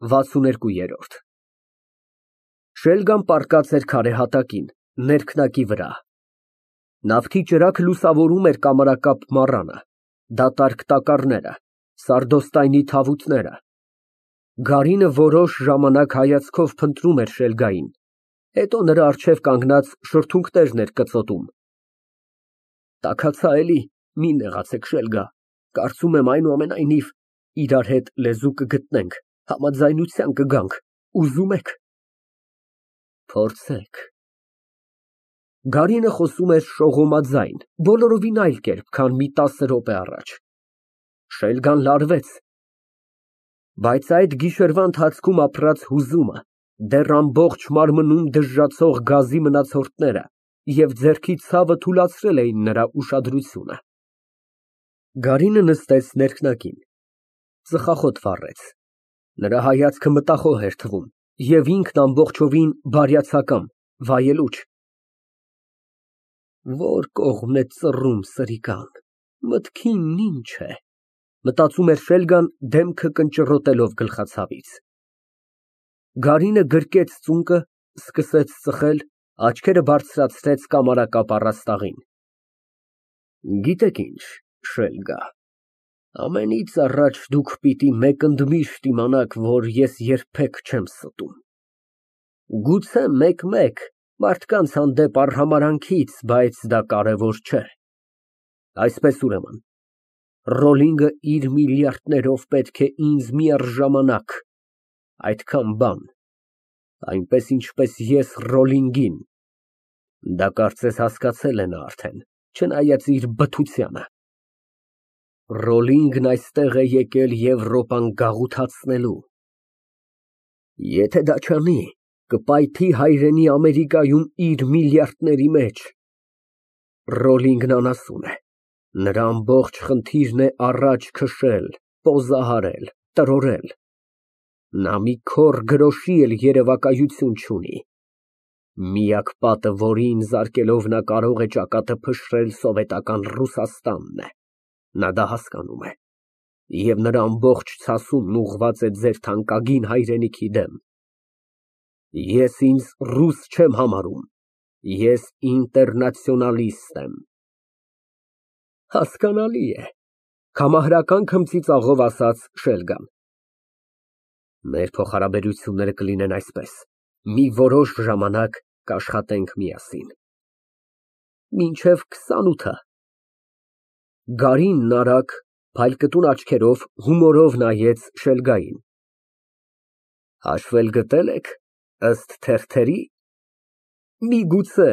62։ Շելգան պառկած էր քարե հատակին, ներքնակի վրա։ Նավթի ճրագ լուսավորում էր կամարակապ մառանը, դատարկ տակառները, սարդոստայնի թավուտները։ Գարինը որոշ ժամանակ հայացքով փնտրում էր Շելգային, հետո նրա առջև կանգնած շրթունքներն էր կծոտում։ Տաքացա էլի, մի նեղացեք, Շելգա, կարծում եմ այնուամենայնիվ իրար հետ լեզու կգտնենք, համաձայնության կգանք, ուզում եք։ Փորձենք։ Գարինը խոսում էր շողոմաձայն, բոլորովին այլ կերպ, քան մի 10 րոպե առաջ։ Շելգան լարվեց, բայց այդ գիշերվա ընթացքում ապրած հուզումը, դեռ ամբողջ մարմնում դժժացող գազի մնացորդները և ձեռքի ցավը թուլացրել էին նրա ուշադրությունը։ Գարինը նստեց ներքնակին, ծխախոտ վառեց, նրա հայացքը մտախոհ էր թվում և ինքն ամբողջովին բարյացակամ, վայելուչ։ Որ կողմն է ծռում, սրիկան, մտքինն ինչ է, մտածում էր Շելգան, դեմքը կնճռոտելով գլխացավից։ Գարինը գրկեց ծունկը, սկսեց ծխել, աչքերը բարձրացրեց կամարակապ առաստաղին։ Գիտեք ինչ, Շելգա, ամենից առաջ դուք պիտի մեկ ընդմիշտ իմանաք, որ ես երբեք չեմ ստում։ Գուցե մեկ-մեկ մարդկանց հանդեպ արհամարհանքից, բայց դա կարևոր չէ։ Այսպես ուրեմն, Ռոլինգը իր միլիարդներով պետք է ինձ միառժամանակ, այդքան բան, այնպես ինչպես ես Ռոլինգին։ Դա կարծես հասկացել է նա արդեն, չնայած իր բթությանը։ Ռոլինգն այստեղ է եկել Եվրոպան գաղութացնելու։ Եթե դա չանի, կպայթի հայրենի Ամերիկայում իր միլիարդների մեջ։ Ռոլինգն անասուն է, նրա ամբողջ խնդիրն է առաջ քշել, պոզահարել, տրորել։ Նա մի քոռ գրոշի էլ երևակայություն չունի։ Միակ պատը, որին զարկելով նա կարող է ճակատը փշրել սովետական Ռուսաստանն է, նա դա հասկանում է, և նրա ամբողջ ցասումն ուղղված է ձեր թանկագին հայրենիքի դեմ։ Ես ինձ ռուս չեմ համարում, ես ինտերնացիոնալիստ եմ։ Հասկանալի է, կամահրական քմծիծաղով ասաց Շելգան։ Մեր փոխհարաբերությունները կլինեն այսպես, մի որոշ ժամանակ կաշխատենք միասին։ Մինչև 28-ը։ Գարինն արագ, փայլկտուն աչքերով հումորով նայեց Շելգային։ Հաշվել գտել եք, ըստ թերթերի։ Միգուցե։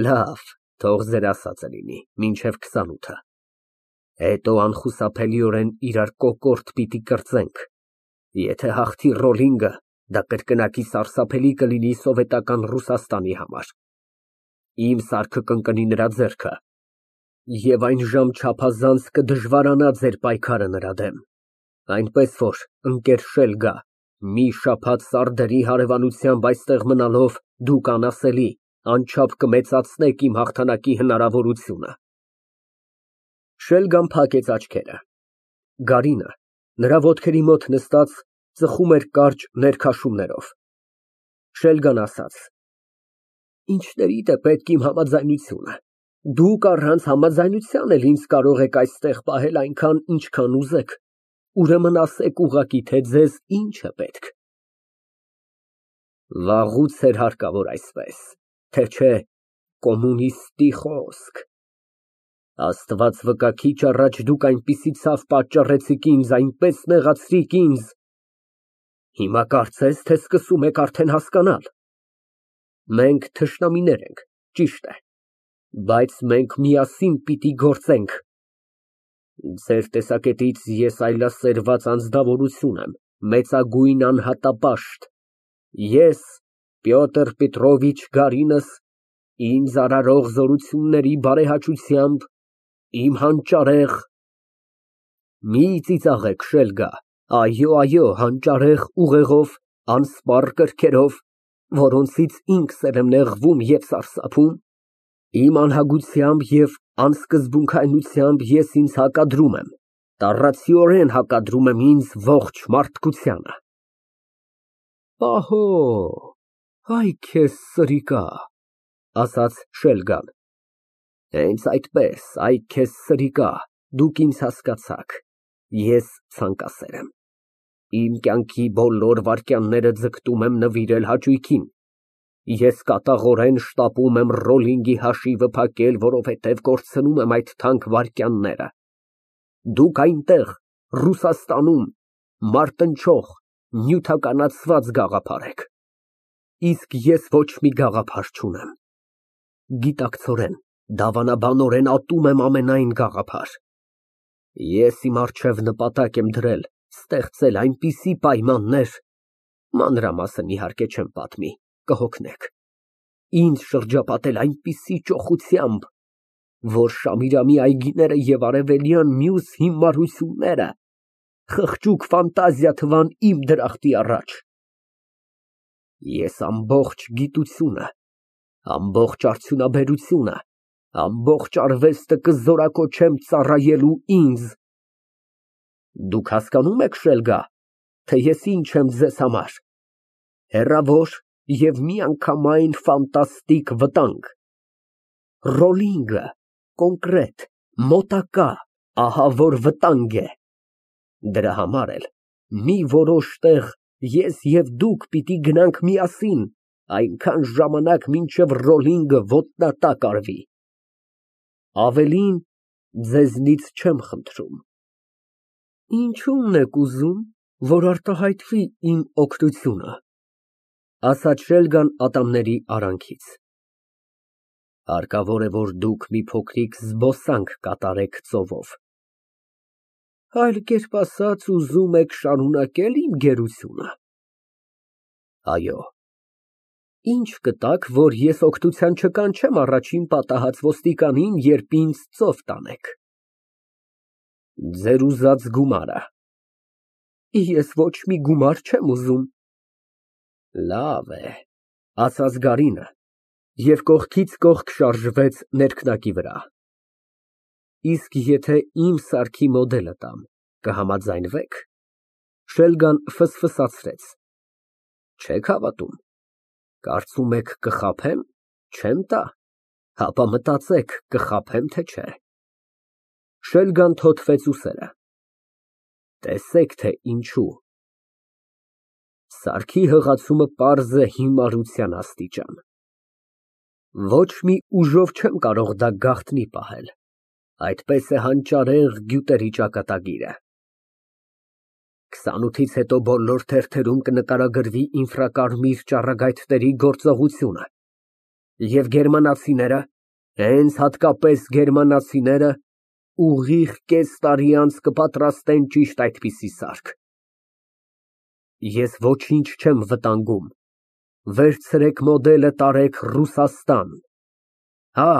Լավ, թող ձեր ասածը լինի, մինչև 28-ը։ Հետո անխուսափելիորեն իրար կոկորդ պիտի կրծենք։ Եթե հաղթի Ռոլինգը, դա կրկնակի սարսափելի կլինի սովետական Ռուսաստանի համար։ Իմ սարքը կընկնի նրա ձեռքը, և այն ժամ չափազանց կդժվարանա ձեր պայքարը նրա դեմ։ Այնպես որ, ընկեր Շելգա, մի շաբաթ սարդերի հարևանությամբ այստեղ մնալով դուք անասելի, անչափ կմեծացնեք իմ հաղթանակի հնարավորությունը։ Շելգան փակեց աչքերը։ Գարինը, նրա ոտքերի մոտ նստած, ծխում էր կարճ ներքաշումներով։ Շելգան ասաց. Ինչներիդ է պետք իմ համաձայնությունը։ Դուք առանց համաձայնության էլ ինձ կարող եք այստեղ պահել այնքան, ինչքան ուզեք։ Ուրեմն ասեք ուղղակի, թե ձեզ ինչ է պետք։ Վաղուց էր հարկավոր այսպես, թե չէ կոմունիստի խոսք։ Աստված վկա, քիչ առաջ դուք այնպիսի ցավ պատճառեցիք ինձ, այնպես նեղացրիք ինձ։ Հիմա կարծես, թե սկսում եք արդեն հասկանալ։ Մենք թշնամիներ ենք, ճիշտ է, բայց մենք միասին պիտի գործենք։ Ձեր տեսակետից ես այլասերված անձնավորություն եմ, մեծագույն անհատապաշտ։ Ես, Պյոտր Պետրովիչ Գարինս, ինձ արարող զորությունների բարեհաճությամբ, իմ հանճարեղ… Մի ծիծաղեք, Շելգա, այո, հանճարեղ ուղեղով, անսպառ կրքերով, որոնցից ինքս էլ եմ նեղվում և սարսափում, իմ անհագությամբ և անսկզբունքայնությամբ ես ինձ հակադրում եմ։ Տառացիորեն հակադրում եմ ինձ ողջ մարդկությանը։ Պահո, այ քեզ սրիկա, ասաց Շելգան։ Հենց այդպես, այ քեզ սրիկա, դուք ինձ հասկացաք, ես ցանկասեր եմ։ Իմ կյանքի բոլոր վայրկյանները ձգտում եմ նվիրել հաճույքին։ Ես կատաղորեն շտապում եմ Ռոլլինգի հաշիվը փակել, որովհետև կորցնում եմ այդ թանկ վայրկյանները։ Դուք այնտեղ, Ռուսաստանում, մարտնչող, նյութականացված գաղափար եք, իսկ ես ոչ մի գաղափար չունեմ։ Գիտակցորեն, դավանաբանորեն ատում եմ ամենայն գաղափար։ Ես իմ առջև նպատակ եմ դրել ստեղծել այնպիսի պայմաններ, մանրամասն իհարկե չեմ պատմի, կհոգնեք, ինձ շրջապատել այնպիսի ճոխությամբ, որ Շամիրամի այգիները և արևելյան մյուս հիմարությունները խղճուկ ֆանտազիա թվան իմ դրախտի առաջ։ Ես ամբողջ գիտությունը, ամբողջ արդյունաբերությունը, ամբողջ արվեստը կզորակոչեմ ծառայելու ինձ։ Դուք հասկանում եք, Շելգա, թե ես ինչ եմ ձեզ համար։ Հեռավոր և միանգամայն ֆանտաստիկ վտանգ։ Ռոլլինգը կոնկրետ, մոտակա, ահավոր վտանգ է։ Դրա համար էլ մի որոշ տեղ ես և դուք պիտի գնանք միասին, այնքան ժամանակ, մինչև Ռոլլինգը ոտնատակ արվի։ Ավելին ձեզնից չեմ խնդրում։ Ինչո՞ւմն եք ուզում, որ արտահայտվի իմ օգնությունը, ասաց Շելգան ատամների արանքից։ Հարկավոր է, որ դուք մի փոքրիկ զբոսանք կատարեք ծովով։ Այլ կերպ ասած, ուզում եք շարունակե՞լ իմ գերությունը։ Այո։ Ինչ կտաք, որ ես օգնության չկանչեմ առաջին պատահած ոստիկանին, երբ ինձ ծով տանեք։ Ձեր ուզած գումարը։ Ես ոչ մի գումար չեմ ուզում։ Լավ է, ասաց Գարինը և կողքից կողք շարժվեց ներքնակի վրա։ Իսկ եթե իմ սարքի մոդելը տամ, կհամաձայնվե՞ք։ Շելգան ֆսֆսացրեց։ Չեք հավատում։ Կարծում եք կխաբեմ, չեմ տա, հապա մտածեք, կխաբեմ, թե չէ։ Շելգան թոթվեց ուսերը։ Տեսեք, թե ինչու։ Սարքի հղացումը պարզ է հիմարության աստիճան։ Ոչ մի ուժով չեմ կարող դա գաղտնի պահել, այդպես է հանճարեղ գյուտերի ճակատագիրը։ 28-ից հետո բոլոր թերթերում կնկարագրվի ինֆրակարմիր ճառագայթների գործողությունը, և գերմանացիները, հենց հատկապես գերմանացիները, ուղիղ կես տարի անց կպատրաստեն ճիշտ այդպիսի սարք։ Ես ոչինչ չեմ վտանգում, վերցրեք մոդելը, տարեք Ռուսաստան։ Հա,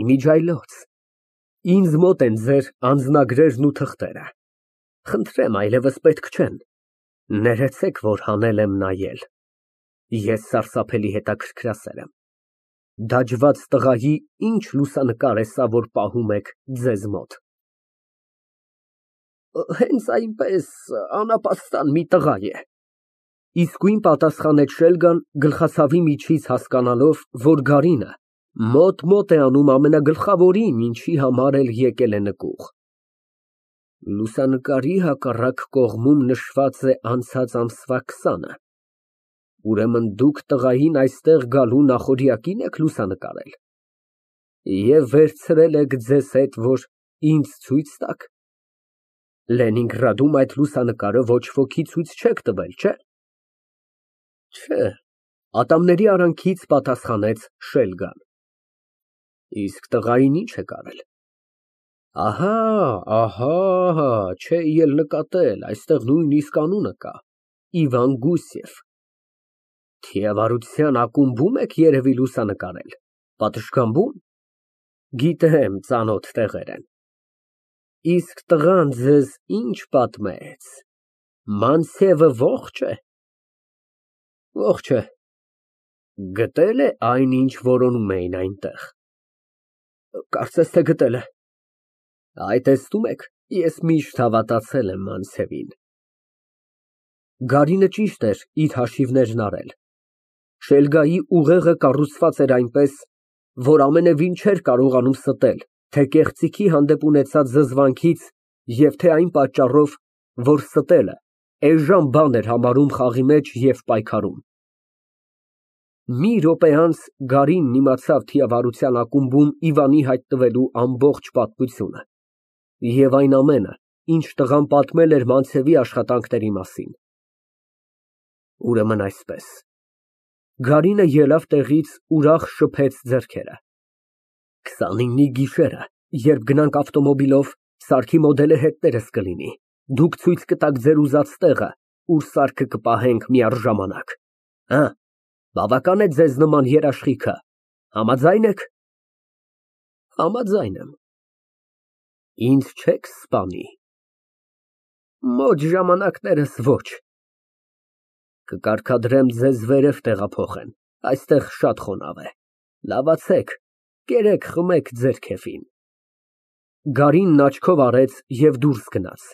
իմիջիայլոց, ինձ մոտ են ձեր անձնագրերն ու թղթերը։ Խնդրեմ, այլևս պետք չեն, ներեցեք, որ հանել եմ նայել։ Ես սարսափելի հետաքրքրասեր եմ։ Դաջված տղայի ինչ լուսանկար է սա, որ պահում եք ձեզ մոտ։ Հենց այնպես անապաստան մի տղա է։ Իսկույն պատասխանեց Շելգան, գլխացավի միջից հասկանալով, որ Գարինը մոտ է անում ամենագլխավորին, ինչի համար էլ եկել է նկուղ։ Լուսանկարի հակառակ կողմում նշված է անցած ամսվա 20-ը։ Ուրեմն դուք տղային այստեղ գալու նախօրյակի՞ն եք լուսանկարել և վերցրել եք ձեզ հետ, որ ինձ ցույց տաք։ Լենինգրադում այդ լուսանկարը ոչ ոքի ցույց չեք տվել, չէ՞։ Չէ, ատամների արանքից պատասխանեց Շելգան։ Իսկ տղային ի՞նչ եք արել։ Ահա, չէի էլ նկատել, այստեղ նույնիսկ անունը կա, Իվան Գուսև։ Թիավարության ակումբում եք երևի լուսանկարել, պատշգամբում։ Գիտեմ, ծանոթ տեղեր են։ Իսկ տղան ձեզ ինչ պատմեց, Մանցևը ողջ է։ Ողջ է։ Գտե՞լ է այն, ինչ որոնում էին այնտեղ։ Կարծես թե գտել է։ Այ տեսնում եք, Ես միշտ հավատացել եմ Մանցևին։ Գարինը ճիշտ էր իր հաշիվներն արել։ Շելգայի ուղեղը կառուցված էր այնպես, որ ամենևին չէր կարողանում ստել թե կեղծիքի հանդեպ ունեցած զզվանքից և թե այն պատճառով, որ ստելը էժան բան էր համարում խաղի մեջ և պայքարում։ Մի րոպե անց Գարինն իմացավ թիավարության ակումբում Իվանի հայտնվելու ամբողջ պատմությունը և այն ամենը, ինչ տղան պատմել էր Մանցևի աշխատանքների մասին։ Ուրեմն այսպես։ Գարինը ելավ տեղից, ուրախ շփեց ձեռքերը։ 29-ի գիշերը, երբ գնանք ավտոմոբիլով, սարքի մոդելը հետներս կլինի, դուք ցույց կտաք ձեր ուզած տեղը, ուր սարքը կպահենք միառժամանակ։ Բավական է ձեզ նման երաշխիքը, համաձա՞յն եք։ Համաձայն եմ։ Ինձ չեք սպանի։ Մոտ ժամանակներս ոչ։ Կկարգադրեմ ձեզ վերև տեղափոխեն, այստեղ շատ խոնավ է։ Լավացեք, կերեք, խմեք ձեր քեֆին։ Գարինն աչքով արեց և դուրս գնաց։